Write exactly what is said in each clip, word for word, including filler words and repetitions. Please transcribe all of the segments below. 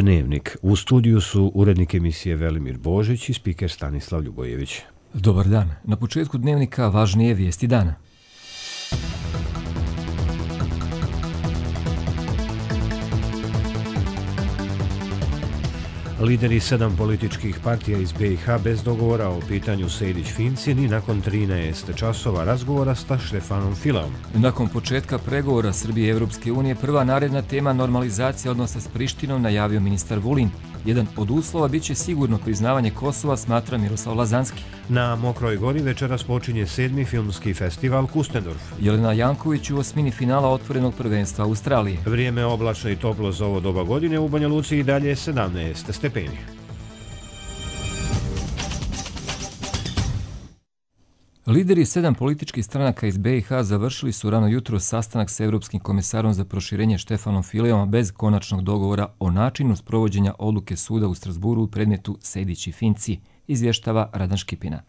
Dnevnik. U studiju su urednik emisije Velimir Božić i spiker Stanislav Ljubojević. Dobar dan. Na početku Dnevnika važnije vijesti dana. Lideri sedam političkih partija iz B i H bez dogovora o pitanju Sejdić-Finci ni nakon trinaest časova razgovora sa Štefanom Fileom. Nakon početka pregovora Srbije i Evropske unije, prva naredna tema normalizacija odnosa s Prištinom najavio ministar Vulin. Jedan od uslova bit će sigurno priznavanje Kosova, smatra Miroslav Lazanski. Na Mokroj Gori večeras počinje sedmi filmski festival Kustendorf. Jelena Janković u osmini finala otvorenog prvenstva Australije. Vrijeme oblačno i toplo za ovo doba godine, u Banja Luci i dalje sedamnaest stepeni. Lideri sedam političkih stranaka iz B i H završili su rano jutro sastanak s Evropskim komisarom za proširenje Štefanom Fileom bez konačnog dogovora o načinu sprovođenja odluke suda u Strasburu u predmetu Sejdić i Finci, izvještava Radan Škipina.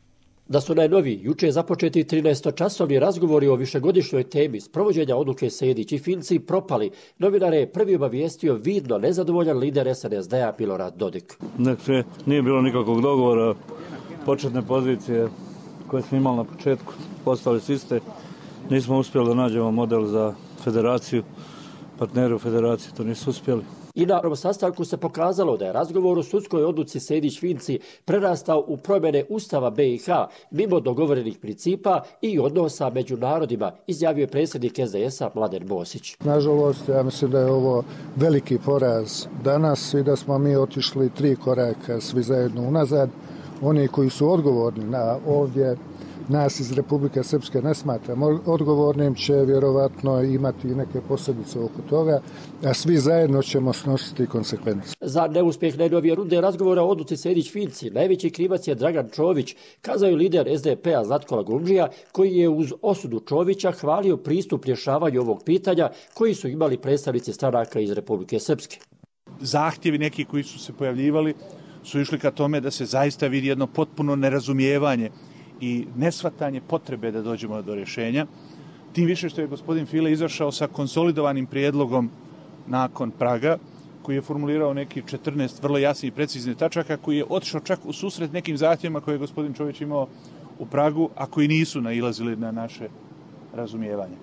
Da su najnoviji, juče započeti trinaestočasovni razgovori o višegodišnjoj temi sprovođenja odluke Sejdić i Finci propali, novinare je prvi obavijestio vidno nezadovoljan lider S N S D-a Milorad Dodik. Dakle, nije bilo nikakvog dogovora, početne pozicije koje smo imali na početku, postali su iste. Nismo uspjeli da nađemo model za federaciju, partneri u federaciji to nisu uspjeli. I na ovom sastanku se pokazalo da je razgovor o sudskoj odluci Sejdić-Finci prerastao u promjene Ustava B i H mimo dogovorenih principa i odnosa među narodima, izjavio je predsjednik S D S-a Mladen Bosić. Nažalost, ja mislim da je ovo veliki poraz danas i da smo mi otišli tri koraka svi zajedno unazad. Oni koji su odgovorni na ovdje, nas iz Republike Srpske ne smatramo odgovornim, će vjerovatno imati neke posljedice oko toga, a svi zajedno ćemo snositi konsekvence. Za neuspjeh najnovije runde razgovora o odluci Sejdić-Finci najveći krivac je Dragan Čović, kazao je lider S D P-a Zlatko Lagundžija, koji je uz osudu Čovića hvalio pristup rješavanju ovog pitanja koji su imali predstavnici stranaka iz Republike Srpske. Zahtjevi neki koji su se pojavljivali su išli ka tome da se zaista vidi jedno potpuno nerazumijevanje i nesvatanje potrebe da dođemo do rješenja. Tim više što je gospodin File izašao sa konsolidovanim prijedlogom nakon Praga, koji je formulirao neki četrnaest vrlo jasnih i preciznih tačaka, koji je otišao čak u susret nekim zahtjevima koje je gospodin Čović imao u Pragu, a koji nisu nailazili na naše razumijevanje.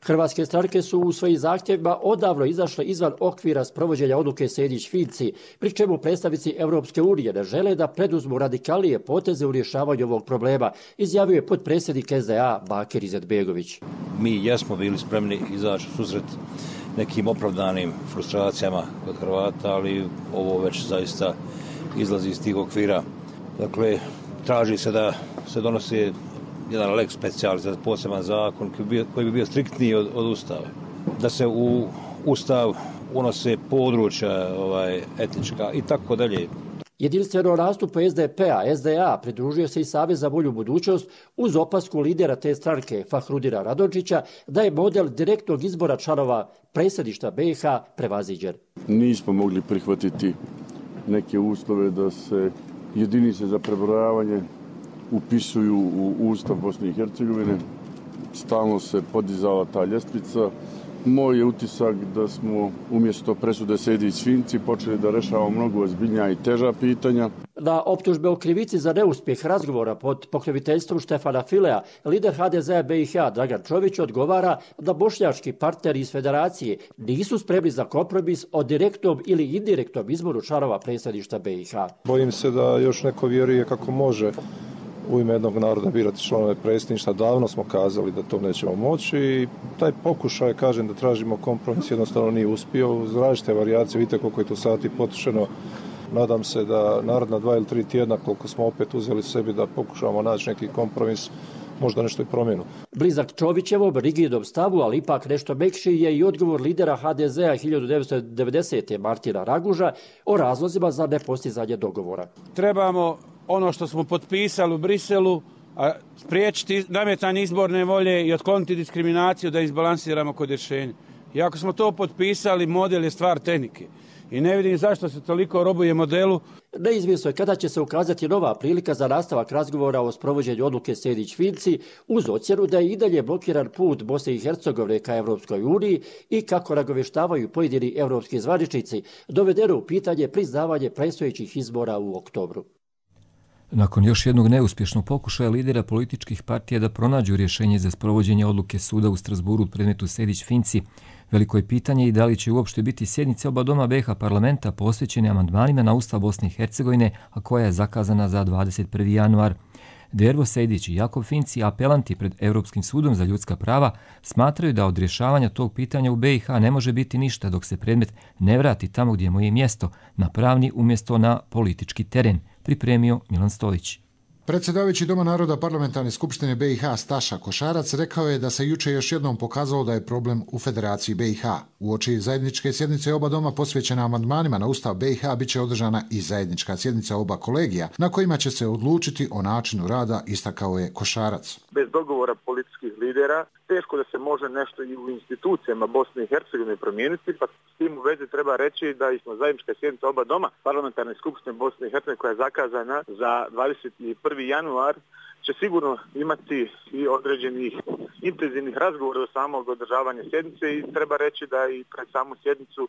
Hrvatske stranke su u svojim zahtjevima odavno izašle izvan okvira sprovođenja odluke Sejdić-Finci, pri čemu predstavnici Evropske unije ne žele da preduzmu radikalnije poteze u rješavanju ovog problema, izjavio je potpredsjednik S D A Bakir Izetbegović. Mi jesmo bili spremni izaći u susret nekim opravdanim frustracijama kod Hrvata, ali ovo već zaista izlazi iz tih okvira. Dakle, traži se da se donosi jedan lex specialis, poseban zakon koji bi bio, koji bi bio striktniji od, od Ustava. Da se u Ustav unose područja ovaj, etnička i tako dalje. Jedinstveno nastupu S D P-a, S D A pridružio se i Savez za bolju budućnost uz opasku lidera te stranke Fahrudina Radončića da je model direktnog izbora članova predsjedništva B i H prevaziđen. Nismo mogli prihvatiti neke uslove da se jedinice za prebrojavanje upisuju u Ustav Bosne i Hercegovine. Stalno se podizala ta ljestvica. Moj je utisak da smo umjesto presude Sejdić-Finci počeli da rešavamo mnogo ozbiljnija i teža pitanja. Na optužbe o krivici za neuspjeh razgovora pod pokroviteljstvom Štefana Filea, lider H D Z-a B i H Dragan Čović odgovara da bošnjački partneri iz federacije nisu spremni za kompromis o direktnom ili indirektnom izboru članova predsjedništva B i H. Bojim se da još neko vjeruje kako može u ime jednog naroda birati članove predsjedništva. Davno smo kazali da to nećemo moći i taj pokušaj, kažem, da tražimo kompromis jednostavno nije uspio. Uz različite varijacije, vidite koliko je tu sati potrošeno. Nadam se da naredna dva ili tri tjedna, koliko smo opet uzeli sebi da pokušavamo naći neki kompromis, možda nešto i promjenu. Blizak Čovićevom rigidnom stavu, ali ipak nešto mekši, je i odgovor lidera H D Z-a hiljadu devetsto devedesete. Martina Raguža o razlozima za nepostizanje dogovora. Trebamo ono što smo potpisali u Briselu, a spriječiti nametanje izborne volje i otkloniti diskriminaciju da izbalansiramo kod rješenja. I ako smo to potpisali, model je stvar tehnike. i ne vidim zašto se toliko robuje modelu. Neizvjesno je kada će se ukazati nova prilika za nastavak razgovora o sprovođenju odluke Sejdić-Finci uz ocjenu da je i dalje blokiran put Bosne i Hercegovine ka Evropskoj uniji i kako nagoveštavaju pojedini evropski zvaničnici, dovedeno u pitanje priznavanje predstojećih izbora u oktobru. Nakon još jednog neuspješnog pokušaja lidera političkih partija da pronađu rješenje za sprovođenje odluke suda u Strasburu u predmetu Sejdić-Finci, veliko je pitanje i da li će uopšte biti sjednice oba doma B i H parlamenta posvećene amandmanima na Ustav Bosne i Hercegovine, a koja je zakazana za dvadeset prvi januar. Dervo Sejdić i Jakov Finci, apelanti pred Europskim sudom za ljudska prava, smatraju da od rješavanja tog pitanja u B i H ne može biti ništa dok se predmet ne vrati tamo gdje mu je mjesto, na pravni umjesto na politički teren, pripremio Milan Stolić. Predsjedavajući Doma naroda Parlamentarne skupštine B i H Staša Košarac rekao je da se juče još jednom pokazalo da je problem u Federaciji B i H. Uoči zajedničke sjednice oba doma posvećena amandmanima na Ustav B i H biće održana i zajednička sjednica oba kolegija na kojima će se odlučiti o načinu rada, istakao je Košarac. Bez dogovora političkih lidera teško da se može nešto i u institucijama Bosne i Hercegovine promijeniti, pa s tim u vezi treba reći da smo zajednička sjednica oba doma Parlamentarne skupštine Bosne i Hercegovine koja je zakazana za dvadeset prvi januar će sigurno imati i određenih intenzivnih razgovora do samog održavanja sjednice i treba reći da i pred samu sjednicu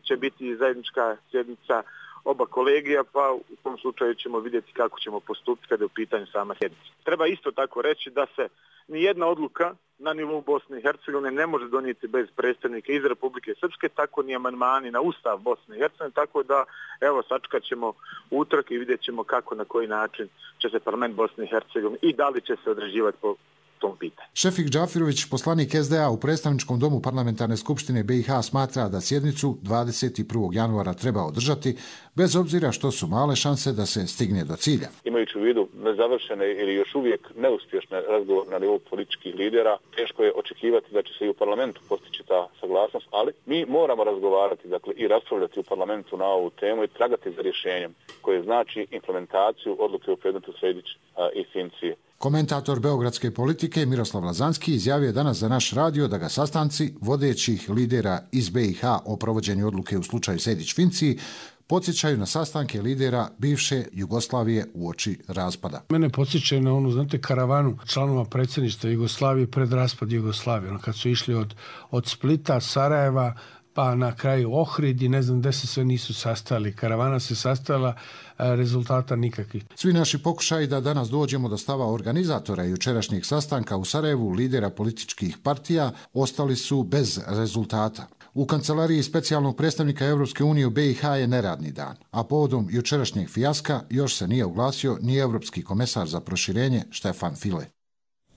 će biti zajednička sjednica oba kolegija, pa u tom slučaju ćemo vidjeti kako ćemo postupiti kada je u pitanju sama sjednica. Treba isto tako reći da se nijedna odluka na nivou Bosne i Hercegovine ne može donijeti bez predstavnika iz Republike Srpske, tako ni amandmani na Ustav Bosne i Hercegovine, tako da evo sačekat ćemo utorak i vidjet ćemo kako, na koji način će se parlament Bosne i Hercegovine i da li će se određivati po tom pitanju. Šefik Džafirović, poslanik S D A u predstavničkom domu Parlamentarne skupštine B i H, smatra da sjednicu dvadeset prvog januara treba održati, bez obzira što su male šanse da se stigne do cilja. Imajući u vidu nezavršene ili još uvijek neuspješne razgovore na nivou političkih lidera, teško je očekivati da će se i u parlamentu postići ta saglasnost, ali mi moramo razgovarati, dakle, i raspravljati u parlamentu na ovu temu i tragati za rješenjem koje znači implementaciju odluke u predmetu Sejdić i Finci. Komentator beogradske politike Miroslav Lazanski izjavio je danas za naš radio da ga sastanci vodećih lidera iz B i H o provođenju odluke u slučaju Sejdić-Finci podsjećaju na sastanke lidera bivše Jugoslavije uoči raspada. Mene podsjećaju na onu, znate, karavanu članova predsjedništva Jugoslavije pred raspad Jugoslavije. Ono, kad su išli od, od Splita, Sarajeva, pa na kraju Ohrid i ne znam gde se sve nisu sastali. Karavana se sastala, rezultata nikakvih. Svi naši pokušaji da danas dođemo do stava organizatora jučerašnjeg sastanka u Sarajevu, lidera političkih partija, ostali su bez rezultata. U kancelariji specijalnog predstavnika Evropske unije u B i H je neradni dan, a povodom jučerašnjeg fijaska još se nije oglasio ni evropski komesar za proširenje Štefan File.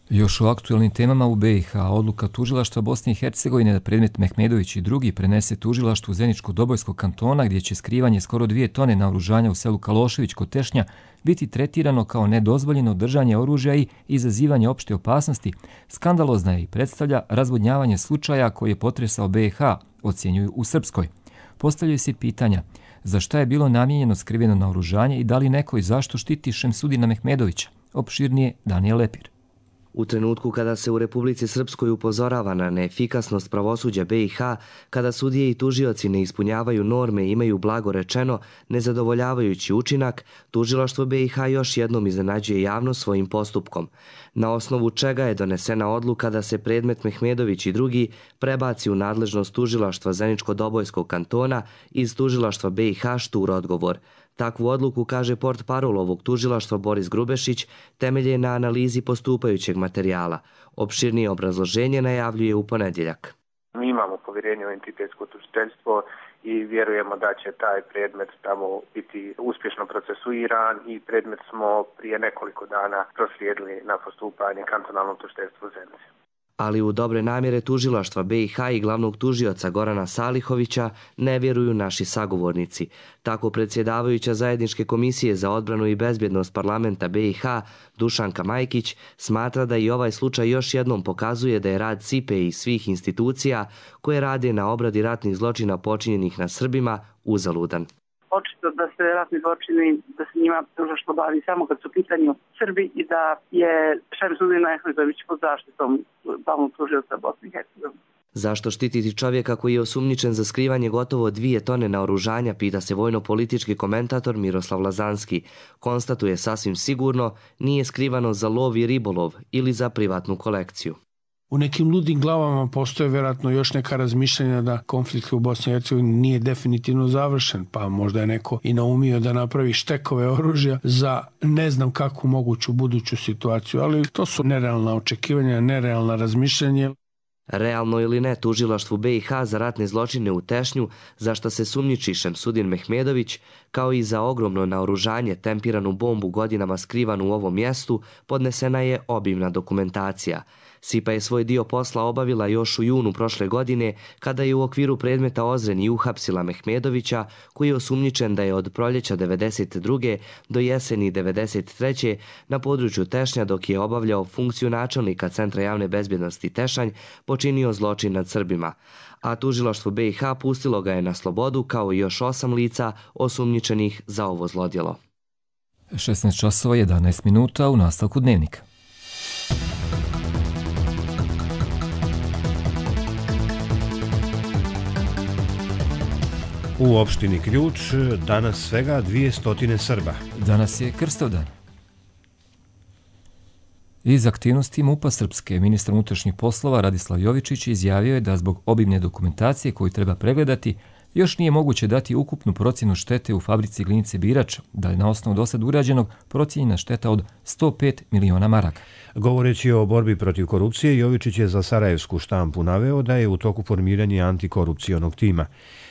Još o aktualnim temama u B i H, odluka tužilaštva Bosne i Hercegovine da predmet Mehmedović i drugi prenese tužilaštvu Zeničko-Dobojskog kantona, gdje će skrivanje skoro dvije tone naoružanja u selu Kalošević kod Tešnja biti tretirano kao nedozvoljeno držanje oružja i izazivanje opšte opasnosti, skandalozna je i predstavlja razvodnjavanje slučaja koji je potresao B i H, ocjenjuju u Srpskoj. Postavljaju se pitanja za šta je bilo namijenjeno skriveno naoružanje i da li neko i zašto štiti Šemsudina Mehmedovića. Opširnije Danijel Lepir. U trenutku kada se u Republici Srpskoj upozorava na neefikasnost pravosuđa B i H, kada sudije i tužioci ne ispunjavaju norme i imaju blago rečeno nezadovoljavajući učinak, tužilaštvo B i H još jednom iznenađuje javnost svojim postupkom, na osnovu čega je donesena odluka da se predmet Mehmedović i drugi prebaci u nadležnost tužilaštva Zeničko-Dobojskog kantona iz tužilaštva B i H Štur odgovor. Takvu odluku, kaže portparol ovog tužilaštva Boris Grubešić, temelje na analizi postupajućeg materijala. Opširnije obrazloženje najavljuje u ponedjeljak. Mi imamo povjerenje u entitetsko tužiteljstvo i vjerujemo da će taj predmet tamo biti uspješno procesuiran i predmet smo prije nekoliko dana proslijedili na postupanje kantonalnom tužiteljstvu Zenice. Ali u dobre namjere tužilaštva B i H i glavnog tužioca Gorana Salihovića ne vjeruju naši sagovornici. Tako predsjedavajuća zajedničke komisije za odbranu i bezbjednost parlamenta B i H Dušanka Majkić smatra da i ovaj slučaj još jednom pokazuje da je rad S I P E i svih institucija koje rade na obradi ratnih zločina počinjenih na Srbima uzaludan. Očito da se ratni zločini, da se njima tužilaštvo bavi samo kad su u pitanju Srbi i da je Šemsudin Mehmedović pod zaštitom glavnog tužioca Bosne i Hercegovine. Zašto štititi čovjeka koji je osumnjičen za skrivanje gotovo dvije tone naoružanja, pita se vojno-politički komentator Miroslav Lazanski. Konstatuje sasvim sigurno, nije skrivano za lov i ribolov ili za privatnu kolekciju. U nekim ludim glavama postoje vjerojatno još neka razmišljanja da konflikt u Bosni i Hercegovini nije definitivno završen, pa možda je neko i naumio da napravi štekove oružja za ne znam kakvu moguću buduću situaciju, ali to su nerealna očekivanja, nerealna razmišljanja. Realno ili ne, tužilaštvu B i H za ratne zločine u Tešnju, za što se sumnjiči Šemsudin Mehmedović, kao i za ogromno naoružanje, tempiranu bombu godinama skrivanu u ovom mjestu, podnesena je obimna dokumentacija. S I P A je svoj dio posla obavila još u junu prošle godine, kada je u okviru predmeta Ozren i uhapsila Mehmedovića, koji je osumnjičen da je od proljeća devedeset druge do jeseni devedeset treće na području Tešnja, dok je obavljao funkciju načelnika Centra javne bezbjednosti Tešanj, počinio zločin nad Srbima. A tužilaštvo B i H pustilo ga je na slobodu kao i još osam lica osumnjičenih za ovo zlodjelo. šesnaest časova jedanaest minuta u nastavku dnevnika. U opštini Ključ danas svega dvije stotine Srba. Danas je Krstovdan. Iz aktivnosti MUP-a Srpske, ministar unutrašnjih poslova Radislav Jovičić izjavio je da zbog obimne dokumentacije koju treba pregledati, još nije moguće dati ukupnu procjenu štete u fabrici glinice Birač, da je na osnovu dosad urađenog procijenjena šteta od sto pet miliona maraka. Govoreći o borbi protiv korupcije, Jovičić je za sarajevsku štampu naveo da je u toku formiranja antikorupcionog tima.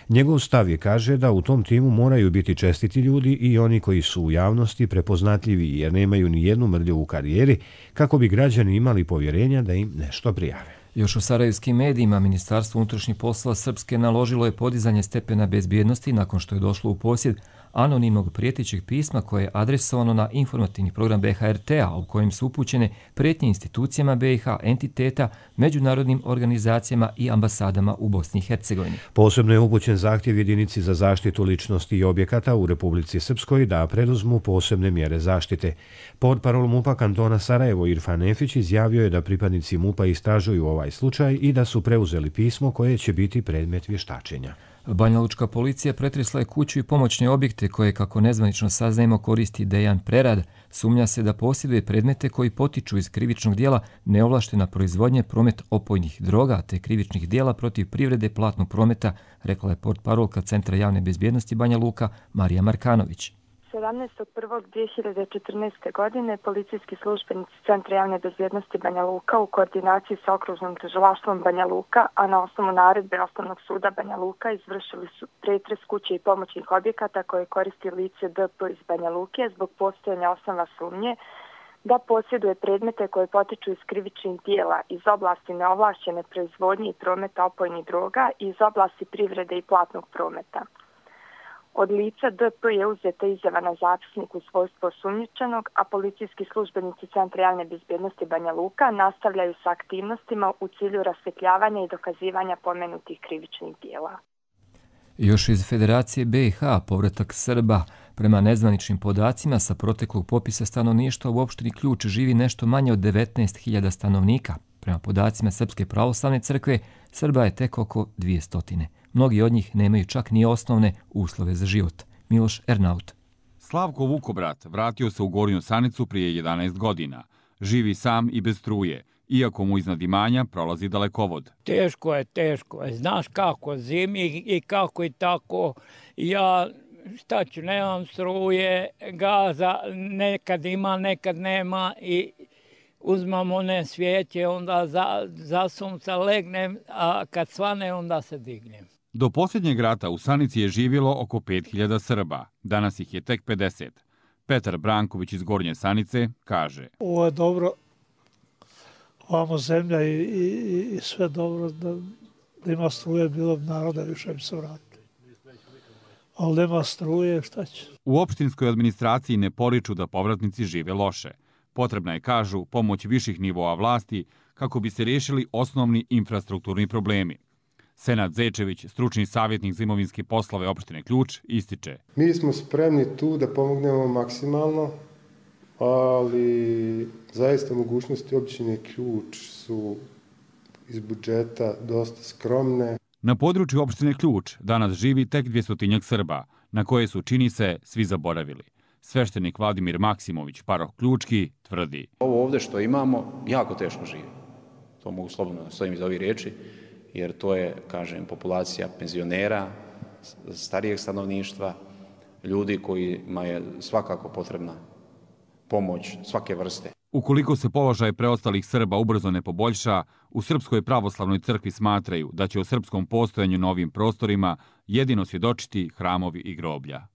Njegov stav je, kaže, da u tom timu moraju biti čestiti ljudi i oni koji su u javnosti prepoznatljivi jer nemaju ni jednu mrlju u karijeri, kako bi građani imali povjerenja da im nešto prijave. Još u sarajevskim medijima Ministarstvo unutrašnjih poslova Srpske naložilo je podizanje stepena bezbjednosti nakon što je došlo u posjed anonimnog prijetećeg pisma koje je adresovano na informativni program B H R T-a, u kojem su upućene prijetnje institucijama B i H, entiteta, međunarodnim organizacijama i ambasadama u Bosni i Hercegovini. Posebno je upućen zahtjev jedinici za zaštitu ličnosti i objekata u Republici Srpskoj da preduzmu posebne mjere zaštite. Portparol MUP-a kantona Sarajevo Irfan Efić izjavio je da pripadnici MUP-a istražuju ovaj slučaj i da su preuzeli pismo koje će biti predmet vještačenja. Banjalučka policija pretresla je kuću i pomoćne objekte koje, kako nezvanično saznajemo, koristi Dejan Prerad. Sumnja se da posjeduje predmete koji potiču iz krivičnog dijela neovlaštena proizvodnje, promet opojnih droga te krivičnih dijela protiv privrede platnog prometa, rekla je portparolka Centra javne bezbjednosti Banja Luka Marija Markanović. sedamnaestog prvog dvije hiljade četrnaeste. godine policijski službenici Centra javne bezbjednosti Banja Luka u koordinaciji sa okružnom tužilaštvom Banja Luka, a na osnovu naredbe Osnovnog suda Banja Luka, izvršili su pretres kuće i pomoćnih objekata koje koristi lice D P iz Banja Luke zbog postojanja osnova sumnje da posjeduje predmete koje potiču iz krivičnih dijela iz oblasti neovlašćene proizvodnje i prometa opojnih droga i iz oblasti privrede i platnog prometa. Od lica D P je uzeta izjava na zapisnik u svojstvu osumnjičenog, a policijski službenici Centra javne bezbjednosti Banja Luka nastavljaju sa aktivnostima u cilju rasvjetljavanja i dokazivanja pomenutih krivičnih dijela. Još iz Federacije B i H povratak Srba. Prema nezvaničnim podacima sa proteklog popisa stanovništva u opštini Ključ živi nešto manje od devetnaest hiljada stanovnika. Prema podacima Srpske pravoslavne crkve, Srba je tek oko dvije stotine. Mnogi od njih nemaju čak ni osnovne uslove za život. Miloš Ernaut. Slavko Vukobrat vratio se u Gornju Sanicu prije jedanaest godina. Živi sam i bez struje, iako mu iznad imanja prolazi dalekovod. Teško je, teško je. Znaš kako zimi i kako i tako. Ja šta ću, nemam struje, gaza, nekad ima, nekad nema i uzmam one svijeće, onda za, za sunca legnem, a kad svane onda se dignem. Do posljednjeg rata u Sanici je živjelo oko pet hiljada Srba, danas ih je tek pedeset. Petar Branković iz Gornje Sanice kaže: Ovo je dobro, ovamo zemlja i, i, i sve dobro, da, da ima struje, bilo bi naroda, više bi se vratili. Ali nema struje, šta će? U opštinskoj administraciji ne poriču da povratnici žive loše. Potrebna je, kažu, pomoć viših nivoa vlasti kako bi se riješili osnovni infrastrukturni problemi. Senad Zečević, stručni savjetnik za imovinske poslove opštine Ključ, ističe: Mi smo spremni tu da pomognemo maksimalno, ali zaista mogućnosti opštine Ključ su iz budžeta dosta skromne. Na području opštine Ključ danas živi tek dvjestotinjak Srba, na koje su, čini se, svi zaboravili. Sveštenik Vladimir Maksimović, paroh Ključki, tvrdi: Ovo ovdje što imamo jako teško živi. To mogu slobodno da stojim iz ovih riječi, jer to je, kažem, populacija penzionera, starijeg stanovništva, ljudi kojima je svakako potrebna pomoć svake vrste. Ukoliko se položaj preostalih Srba ubrzo ne poboljša, u Srpskoj pravoslavnoj crkvi smatraju da će o srpskom postojanju na ovim prostorima jedino svjedočiti hramovi i groblja.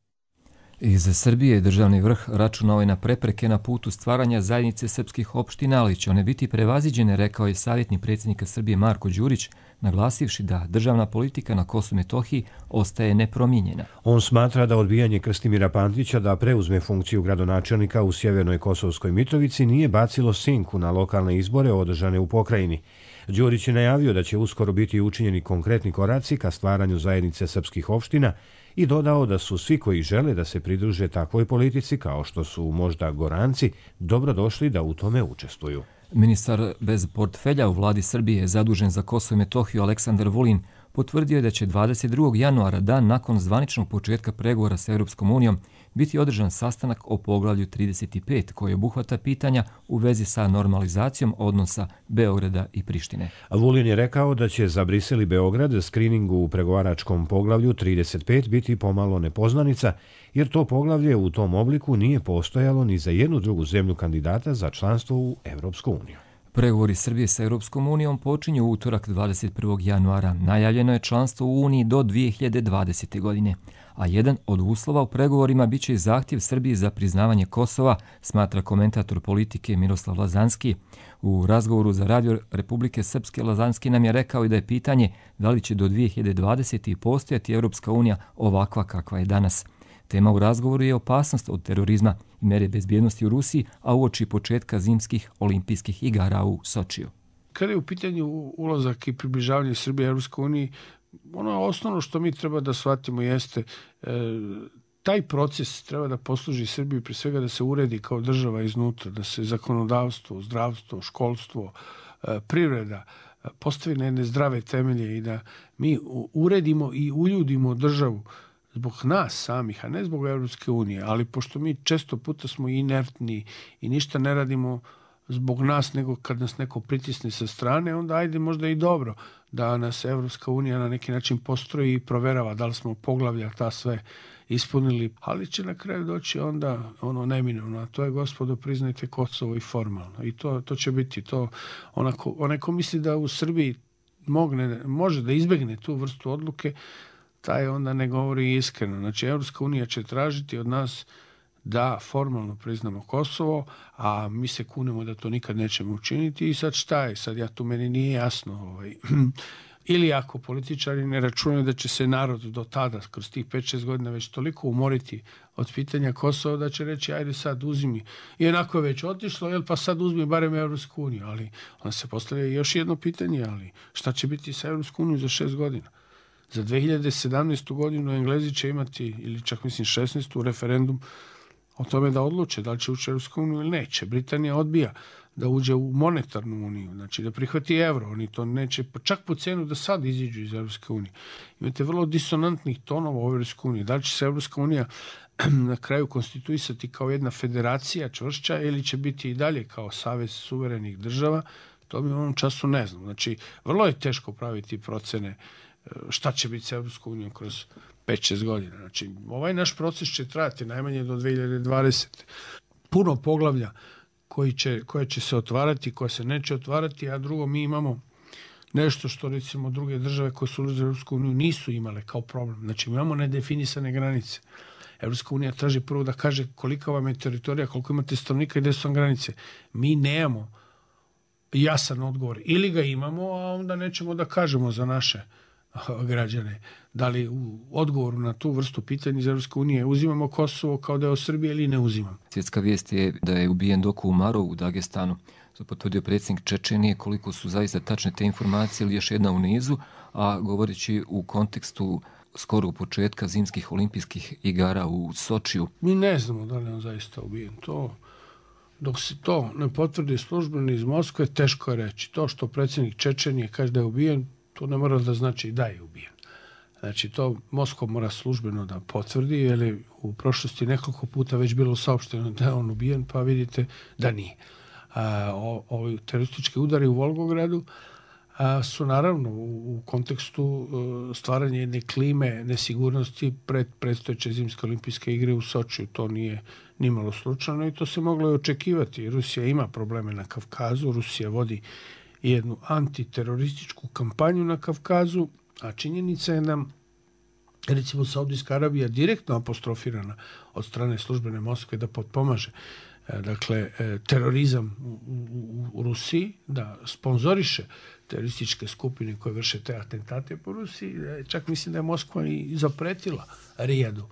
Iz Srbije državni vrh računao je na prepreke na putu stvaranja zajednice srpskih opština, ali će one biti prevaziđene, rekao je savjetnik predsjednika Srbije Marko Đurić, naglasivši da državna politika na Kosovu i Metohiji ostaje nepromijenjena. On smatra da odbijanje Krstimira Pantića da preuzme funkciju gradonačelnika u sjevernoj Kosovskoj Mitrovici nije bacilo senku na lokalne izbore održane u pokrajini. Đurić je najavio da će uskoro biti učinjeni konkretni koraci ka stvaranju zajednice srpskih opština i dodao da su svi koji žele da se pridruže takvoj politici, kao što su možda Goranci, dobrodošli da u tome učestvuju. Ministar bez portfelja u vladi Srbije, zadužen za Kosovo i Metohiju Aleksandar Vulin, potvrdio je da će dvadeset drugog januara, dan nakon zvaničnog početka pregovora sa Europskom unijom, biti održan sastanak o poglavlju trideset pet koji obuhvata pitanja u vezi sa normalizacijom odnosa Beograda i Prištine. Vulin je rekao da će za Brisel i Beograd skriningu u pregovaračkom poglavlju trideset pet biti pomalo nepoznanica, jer to poglavlje u tom obliku nije postojalo ni za jednu drugu zemlju kandidata za članstvo u Europsku uniju. Pregovori Srbije sa Europskom unijom počinju u utorak dvadeset prvog januara. Najavljeno je članstvo u Uniji do dvije hiljade dvadesete. godine. A jedan od uslova u pregovorima biće i zahtjev Srbije za priznavanje Kosova, smatra komentator politike Miroslav Lazanski. U razgovoru za radio Republike Srpske Lazanski nam je rekao i da je pitanje da li će do dvije hiljade dvadesete. postojati Europska unija ovakva kakva je danas. Tema u razgovoru je opasnost od terorizma i mere bezbjednosti u Rusiji, a uoči početka zimskih olimpijskih igara u Sočiju. Kada je u pitanju ulazak i približavanje Srbije Europskoj uniji, ono osnovno što mi treba da shvatimo jeste e, taj proces treba da posluži Srbiji pre svega da se uredi kao država iznutra, da se zakonodavstvo, zdravstvo, školstvo, e, privreda e, postavi na jedne zdrave temelje i da mi uredimo i uljudimo državu zbog nas samih, a ne zbog Europske unije, ali pošto mi često puta smo inertni i ništa ne radimo zbog nas, nego kad nas neko pritisne sa strane, onda ajde možda i dobro da nas Evropska unija na neki način postroji i proverava da li smo poglavlja ta sve ispunili, ali će na kraju doći onda ono neminovno, a to je, gospodo, priznajte Kosovo i formalno. I to, to će biti to. Onako, onaj ko misli da u Srbiji mogne, može da izbegne tu vrstu odluke, taj onda ne govori iskreno. Znači, Evropska unija će tražiti od nas da formalno priznamo Kosovo, a mi se kunemo da to nikad nećemo učiniti. I sad šta je? Sad ja tu meni nije jasno. Ovaj. Ili ako političari ne računaju da će se narod do tada, kroz tih pet šest godina, već toliko umoriti od pitanja Kosova da će reći ajde sad uzmi. I onako je već otišlo, jel pa sad uzmi barem Evropsku uniju. Ali onda se postavlja još jedno pitanje, ali šta će biti sa Evropsku uniju za šest godina? Za dve hiljade sedamnaestu. godinu Englezi će imati, ili čak mislim šesnaestu. referendum o tome da odluče da li će ući u Europsku uniju ili neće. Britanija odbija da uđe u monetarnu uniju, znači da prihvati evro. Oni to neće, čak po cenu da sad iziđu iz Europske unije. Imate vrlo disonantnih tonova u Europskoj uniji. Da li će se Europska unija na kraju konstituisati kao jedna federacija čvršća ili će biti i dalje kao savez suverenih država, to mi u ovom času ne znam. Znači, vrlo je teško praviti procene šta će biti s Europskom unijom kroz pet šest godina. Znači, ovaj naš proces će trajati najmanje do dve hiljade dvadesete. Puno poglavlja koji će, koje će se otvarati, koje se neće otvarati, a drugo, mi imamo nešto što, recimo, druge države koje su ulazile u Europsku uniju nisu imale kao problem. Znači, mi imamo nedefinisane granice. Europska unija traži prvo da kaže kolika vam je teritorija, koliko imate stanovnika i gde su vam granice. Mi nemamo jasan odgovor. Ili ga imamo, a onda nećemo da kažemo za naše građane. Da li u odgovoru na tu vrstu pitanja iz Europske unije uzimamo Kosovo kao deo Srbije ili ne uzimamo? Svjetska vijest je da je ubijen Doku Umarov u Dagestanu. To potvrdio predsjednik Čečenije. Koliko su zaista tačne te informacije ili još jedna u nizu, a govoreći u kontekstu skoro početka zimskih olimpijskih igara u Sočiju. Mi ne znamo da li on zaista ubijen. To Dok se to ne potvrdi službeno iz Moskve, teško je reći. To što predsjednik Čečenije kaže da je ubijen, to ne mora da znači da je ubijen. Znači, to Moskva mora službeno da potvrdi, jer je u prošlosti nekoliko puta već bilo saopšteno da je on ubijen, pa vidite da nije. A, o, ovi teroristički udari u Volgogradu a, su naravno u, u kontekstu a, stvaranja jedne klime nesigurnosti pred predstojeće zimske olimpijske igre u Sočiju. To nije nimalo slučajno i to se moglo i očekivati. Rusija ima probleme na Kavkazu, Rusija vodi jednu antiterorističku kampanju na Kavkazu, a činjenica je da, recimo, Saudijska Arabija direktno apostrofirana od strane službene Moskve da potpomaže dakle, terorizam u, u, u Rusiji, da sponzoriše terorističke skupine koje vrše te atentate po Rusiji. Čak mislim da je Moskva i zapretila Rijadu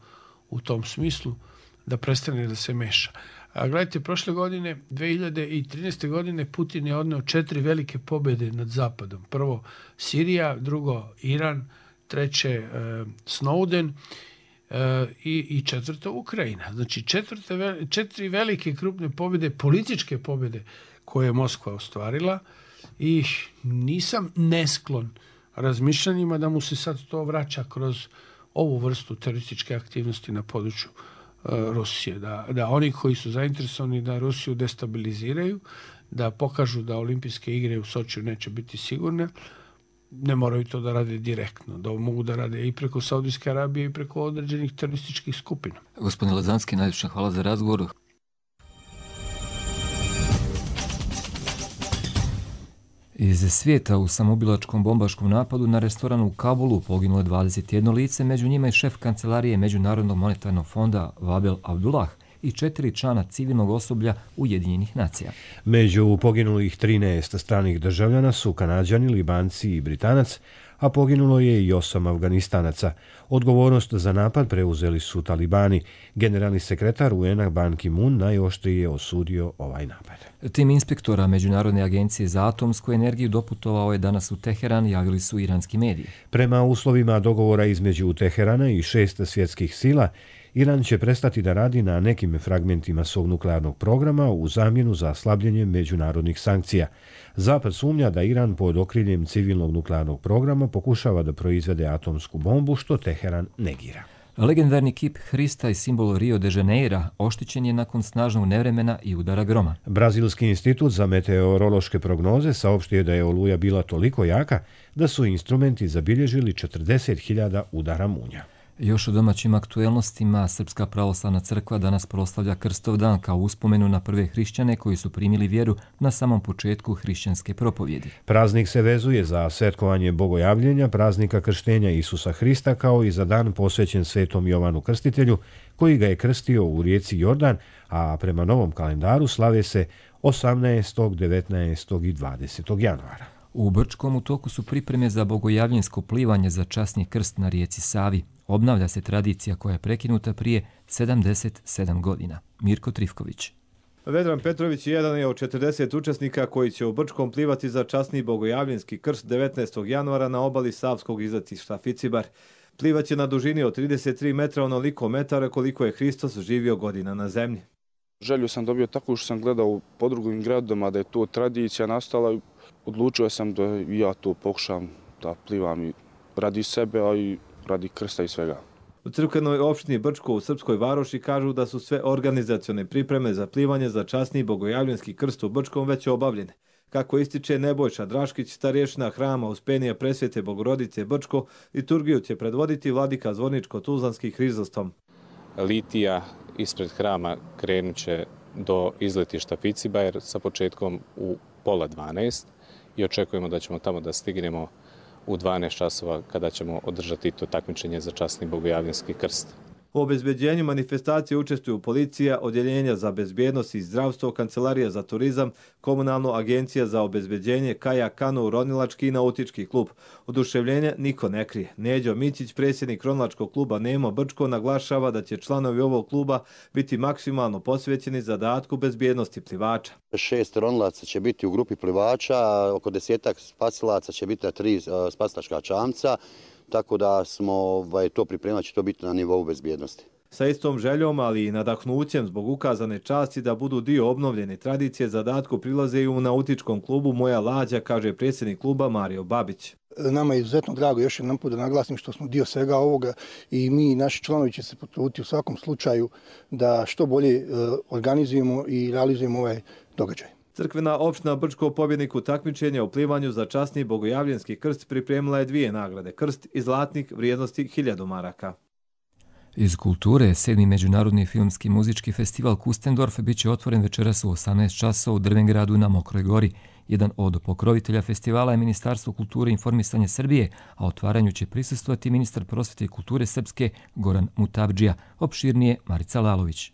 u tom smislu da prestane da se meša. A gledajte, prošle godine, dve hiljade trinaeste. godine, Putin je odneo četiri velike pobjede nad Zapadom. Prvo Sirija, drugo Iran, treće e, Snowden e, i, i četvrto Ukrajina. Znači četvrte, četiri velike krupne pobjede, političke pobjede koje je Moskva ostvarila i nisam nesklon razmišljanjima da mu se sad to vraća kroz ovu vrstu terorističke aktivnosti na području Rusije, da, da oni koji su zainteresovani da Rusiju destabiliziraju, da pokažu da olimpijske igre u Sočiju neće biti sigurne, ne moraju to da rade direktno, da mogu da rade i preko Saudijske Arabije i preko određenih terorističkih skupina. Gospodin Lazanski, najljepša hvala za razgovor. Iz svijeta u samoubilačkom bombaškom napadu na restoran u Kabulu poginulo je dvadeset jedno lice, među njima i šef kancelarije Međunarodnog monetarnog fonda Vabel Abdullah i četiri člana civilnog osoblja Ujedinjenih nacija. Među poginulih trinaest stranih državljana su Kanađani, Libanci i Britanac, a poginulo je i osam Afganistanaca. Odgovornost za napad preuzeli su talibani. Generalni sekretar U N A Ban Ki-moon najoštrije je osudio ovaj napad. Tim inspektora Međunarodne agencije za atomsku energiju doputovao je danas u Teheran, javili su iranski mediji. Prema uslovima dogovora između Teherana i šest svjetskih sila, Iran će prestati da radi na nekim fragmentima svog nuklearnog programa u zamjenu za slabljenje međunarodnih sankcija. Zapad sumnja da Iran pod okriljem civilnog nuklearnog programa pokušava da proizvede atomsku bombu, što Teheran negira. Legendarni kip Hrista i simbol Rio de Janeira oštećen je nakon snažnog nevremena i udara groma. Brazilski institut za meteorološke prognoze saopštio je da je oluja bila toliko jaka da su instrumenti zabilježili četrdeset hiljada udara munja. Još u domaćim aktuelnostima, Srpska pravoslavna crkva danas proslavlja Krstov dan kao uspomenu na prve hrišćane koji su primili vjeru na samom početku hrišćanske propovjedi. Praznik se vezuje za svetkovanje bogojavljenja, praznika krštenja Isusa Hrista, kao i za dan posvećen Svetom Jovanu Krstitelju, koji ga je krstio u rijeci Jordan, a prema novom kalendaru slave se osamnaestog, devetnaestog i dvadesetog januara. U Brčkom u toku su pripreme za bogojavljensko plivanje za časni krst na rijeci Savi. Obnavlja se tradicija koja je prekinuta prije sedamdeset sedam godina. Mirko Trifković. Vedran Petrović jedan je od četrdeset učesnika koji će u Brčkom plivati za časni bogojavljenski krst devetnaestog januara na obali savskog izletišta Ficibar. Plivaće na dužini od trideset tri metra, onoliko metara koliko je Hristos živio godina na zemlji. Želju sam dobio tako što sam gledao po drugim gradovima da je to tradicija nastala. Odlučio sam da ja to pokušam da plivam i radi sebe, a i radi krsta i svega. U crkvenoj opštini Brčko u Srpskoj Varoši kažu da su sve organizacione pripreme za plivanje za časni bogojavljenski krst u Brčkom već obavljene. Kako ističe Nebojša Draškić, starješina hrama Uspenija Presvete Bogorodice Brčko, liturgiju će predvoditi vladika Zvorničko-Tuzlanski Hrizostom. Litija ispred hrama krenut će do izletišta Ficibar sa početkom u pola dvanaest i očekujemo da ćemo tamo da stignemo u dvanaest časova kada ćemo održati to takmičenje za časni bogojavljenski krst. U obezbeđenju manifestacije učestvuju policija, odjeljenja za bezbjednost i zdravstvo, kancelarija za turizam, komunalna agencija za obezbeđenje, kajak, kanu, ronilački i nautički klub. Oduševljenje niko ne krije. Neđo Mićić, predsjednik ronilačkog kluba Nemo Brčko, naglašava da će članovi ovog kluba biti maksimalno posvećeni zadatku bezbjednosti plivača. Šest ronilaca će biti u grupi plivača, oko desetak spasilaca će biti na tri spasilačka čamca. Tako da smo ovaj, to pripremati, će to biti na nivou bezbjednosti. Sa istom željom, ali i nadahnućem zbog ukazane časti da budu dio obnovljene tradicije, zadatku prilaze i u nautičkom klubu Moja lađa, kaže predsjednik kluba Mario Babić. Nama je izuzetno drago, još jednom put da naglasim, što smo dio svega ovoga i mi i naši članovi će se potruditi u svakom slučaju da što bolje organizujemo i realizujemo ovaj događaj. Crkvena opština Brčko pobjedniku takmičenja u plivanju za časni bogojavljenski krst pripremila je dvije nagrade, krst i zlatnik vrijednosti hiljadu maraka. Iz kulture, sedmi međunarodni filmski muzički festival Kustendorf bit će otvoren večeras u osamnaest časova u Drvengradu na Mokroj gori. Jedan od pokrovitelja festivala je Ministarstvo kulture i informisanja Srbije, a otvaranju će prisustvovati ministar prosvete i kulture Srpske Goran Mutavdžija. Opširnije Marica Lalović.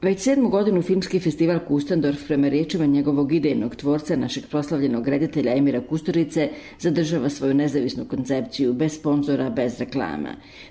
Već sedmu godinu filmski festival Kustendorf, prema riječima njegovog idejnog tvorca, našeg proslavljenog reditelja Emira Kusturice, zadržava svoju nezavisnu koncepciju, bez sponzora, bez reklama.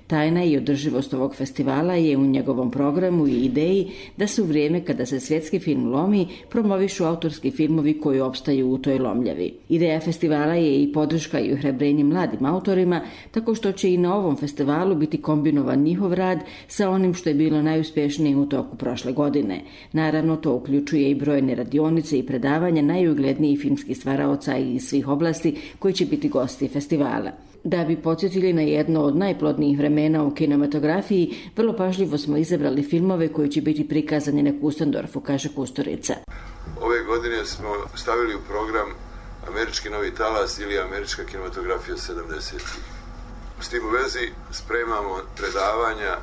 Tajna i održivost ovog festivala je u njegovom programu i ideji da se u vrijeme kada se svjetski film lomi, promovišu autorski filmovi koji opstaju u toj lomljavi. Ideja festivala je i podrška i ohrabrenje mladim autorima, tako što će i na ovom festivalu biti kombinovan njihov rad sa onim što je bilo najuspješnije u toku prošle godine. godine. Naravno, to uključuje i brojne radionice i predavanja najuglednijih filmskih stvaraoca iz svih oblasti koji će biti gosti festivala. Da bi podsjetili na jedno od najplodnijih vremena u kinematografiji, vrlo pažljivo smo izabrali filmove koji će biti prikazani na Kustendorfu, kaže Kusturica. Ove godine smo stavili u program Američki novi talas ili Američka kinematografija sedamdesetih. S tim u vezi spremamo predavanja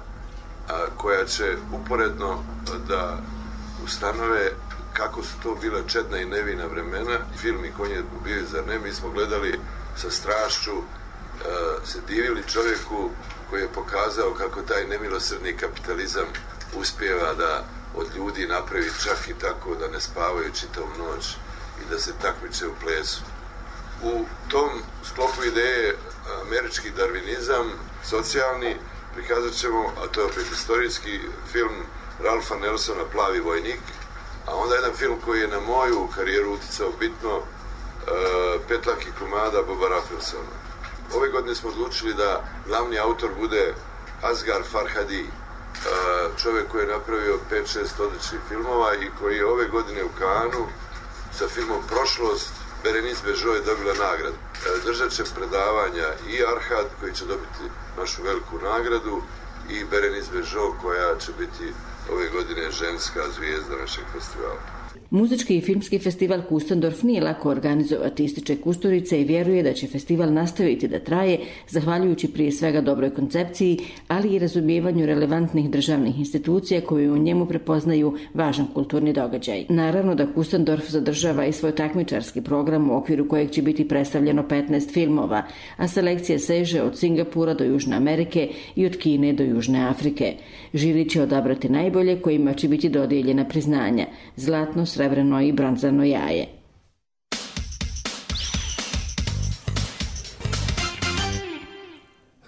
koja će uporedno da ustanove kako su to bila čedna i nevina vremena. Film i Konje ubijaju, zar ne? Mi smo gledali sa strašću, se divili čovjeku koji je pokazao kako taj nemilosrdni kapitalizam uspijeva da od ljudi napravi čak i tako da ne spavaju čitavu noć i da se takmiče u plesu. U tom sklopu ideje američki darvinizam, socijalni, prikazat ćemo, a to je opet istorijski film Ralfa Nelsona Plavi vojnik, a onda jedan film koji je na moju karijeru uticao bitno, uh, Petlaki komada Boba Raffelsona. Ove godine smo odlučili da glavni autor bude Asghar Farhadi, uh, čovjek koji je napravio pet šest odličnih filmova i koji je ove godine u Cannesu sa filmom Prošlost, Berenice Bežo je dobila nagradu. Držat će predavanja i Arhad koji će dobiti našu veliku nagradu i Berenice Bežo koja će biti ove godine ženska zvijezda našeg festivala. Muzički i filmski festival Kustendorf nije lako organizovati, ističe Kusturica i vjeruje da će festival nastaviti da traje, zahvaljujući prije svega dobroj koncepciji, ali i razumijevanju relevantnih državnih institucija koje u njemu prepoznaju važan kulturni događaj. Naravno da Kustendorf zadržava i svoj takmičarski program u okviru kojeg će biti predstavljeno petnaest filmova, a selekcija seže od Singapura do Južne Amerike i od Kine do Južne Afrike. Žiri će odabrati najbolje kojima će biti dodijeljena priznanja, zlatno, srebreno i bronzano jaje.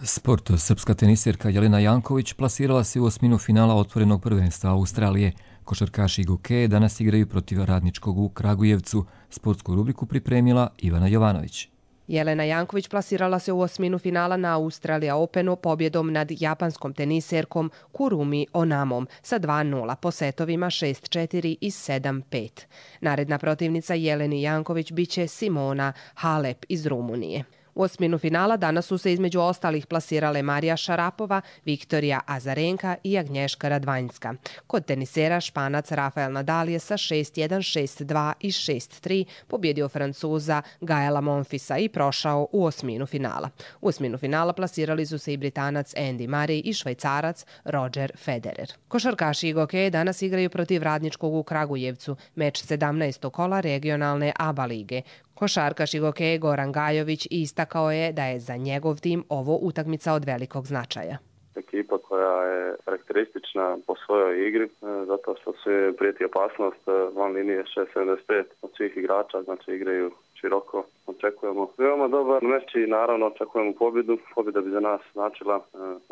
Sport. Srpska tenisirka Jelena Janković plasirala se u osminu finala otvorenog prvenstva Australije. Košarkaši Gokeje danas igraju protiv Radničkog u Kragujevcu. Sportsku rubriku pripremila Ivana Jovanović. Jelena Janković plasirala se u osminu finala na Australija Openu pobjedom nad japanskom teniserkom Kurumi Onamom sa dva nula po setovima šest četiri i sedam pet. Naredna protivnica Jeleni Janković biće Simona Halep iz Rumunije. U osminu finala danas su se između ostalih plasirale Marija Šarapova, Viktorija Azarenka i Agnješka Radvanjska. Kod tenisera Španac Rafael Nadal je sa šest jedan, šest dva i šest tri pobjedio Francuza Gaela Monfisa i prošao u osminu finala. U osminu finala plasirali su se i Britanac Andy Murray i Švajcarac Roger Federer. Košarkaši i Gokeje danas igraju protiv Radničkog u Kragujevcu, meč sedamnaestog kola regionalne A B A lige. Košarkaš i Gokeje Goran Gajović istakao je da je za njegov tim ovo utakmica od velikog značaja. Ekipa koja je karakteristična po svojoj igri, zato što se prijeti opasnost van linije šest sedamdeset pet od svih igrača, znači igraju široko. Očekujemo veoma dobar meč i naravno očekujemo pobjedu. Pobjeda bi za nas značila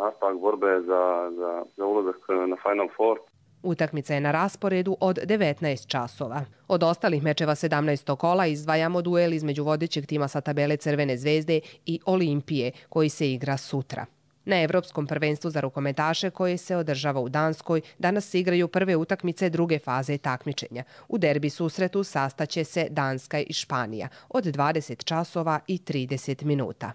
nastavak borbe za, za, za ulazak na Final Four. Utakmica je na rasporedu od devetnaest časova. Od ostalih mečeva sedamnaestog kola izdvajamo duel između vodećeg tima sa tabele Crvene zvezde i Olimpije, koji se igra sutra. Na Evropskom prvenstvu za rukometaše koje se održava u Danskoj danas se igraju prve utakmice druge faze takmičenja. U derbi susretu sastaće se Danska i Španija od dvadeset časova i trideset minuta.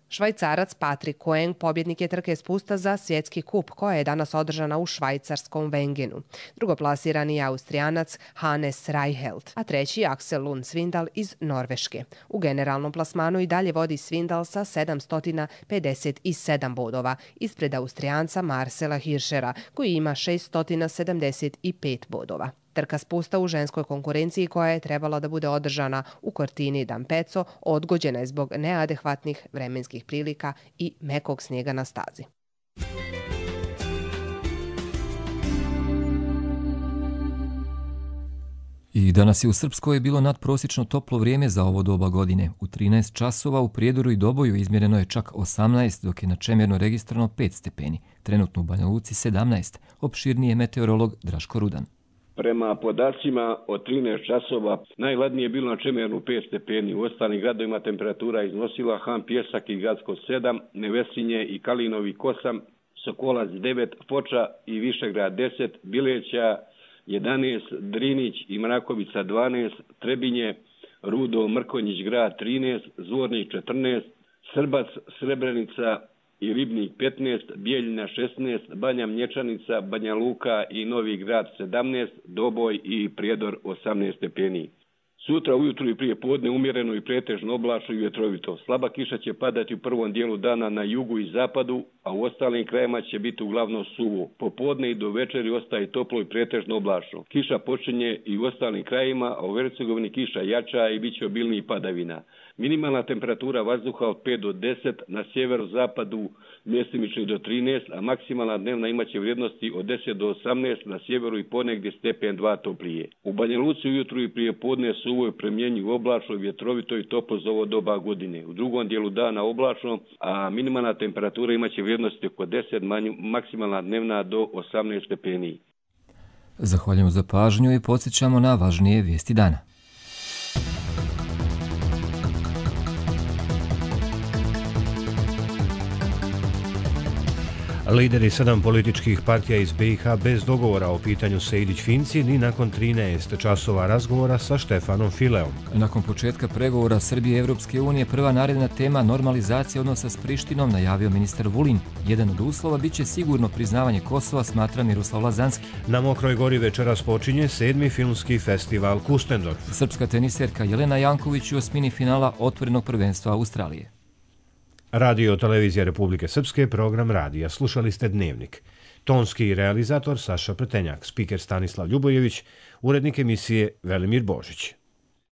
Švajcarac Patrick Koeng pobjednik je trke spusta za svjetski kup koja je danas održana u švajcarskom Wengenu. Drugoplasirani je Austrijanac Hannes Reichelt, a treći je Axel Lund Svindal iz Norveške. U generalnom plasmanu i dalje vodi Svindal sa sedamsto pedeset sedam bodova, ispred Austrijanca Marcela Hirschera koji ima šeststo sedamdeset pet bodova. Trka spusta u ženskoj konkurenciji koja je trebala da bude održana u Cortini d'Ampezzo odgođena je zbog neadekvatnih vremenskih prilika i mekog snijega na stazi. I danas je u Srpskoj bilo nadprosječno toplo vrijeme za ovo doba godine. U trinaest časova u Prijedoru i Doboju izmjereno je čak osamnaest, dok je na Čemerno registrovano pet stepeni. Trenutno u Banja Luci sedamnaest. Opširniji je meteorolog Draško Rudan. Prema podacima od trinaest časova najhladnije je bilo na Čemernu pet stepeni. U ostalim gradovima temperatura iznosila Han Pjesak i Gacko sedam, Nevesinje i Kalinović osam, Sokolac devet, Foča i Višegrad deset, Bileća jedanaest, Drinić i Mrakovica dvanaest, Trebinje, Rudo, Mrkonjić grad trinaest, Zvornik četrnaest, Srbac, Srebrenica i Ribnik petnaest, Bijeljina šesnaest, Banja Mlječanica, Banja Luka i Novi Grad sedamnaest, Doboj i Prijedor osamnaest stepeni. Sutra ujutru i prije podne umjereno i pretežno oblačno i vjetrovito. Slaba kiša će padati u prvom dijelu dana na jugu i zapadu, a u ostalim krajima će biti uglavnom suvo. Popodne i do večeri ostaje toplo i pretežno oblačno. Kiša počinje i u ostalim krajima, a u Hercegovini kiša jača i bit će obilnijih padavina. Minimalna temperatura vazduha od pet do deset, na sjeverozapadu mjestimično do trinaest, a maksimalna dnevna imaće vrijednosti od deset do osamnaest, na sjeveru i ponegdje stepen dva toplije. U Banja Luci ujutru i prije podne suvo je premjenjiv oblačno, vjetrovito i toplo za ovo doba godine. U drugom dijelu dana oblačno, a minimalna temperatura imaće vrijednosti oko deset, maksimalna dnevna do osamnaest stepeni. Zahvaljujemo za pažnju i podsjećamo na važnije vijesti dana. Lideri sedam političkih partija iz B i H bez dogovora o pitanju Sejdić-Finci ni nakon trinaest časova razgovora sa Štefanom Fileom. Nakon početka pregovora Srbije i Evropske unije prva naredna tema normalizacija odnosa s Prištinom najavio ministar Vulin. Jedan od uslova biće sigurno priznavanje Kosova, smatra Miroslav Lazanski. Na Mokroj Gori večeras počinje sedmi filmski festival Kustendorf. Srpska teniserka Jelena Janković u osmini finala otvorenog prvenstva Australije. Radio Televizija Republike Srpske, program radija. Slušali ste Dnevnik. Tonski realizator Saša Pretenjak, spiker Stanislav Ljubojević, urednik emisije Velimir Božić.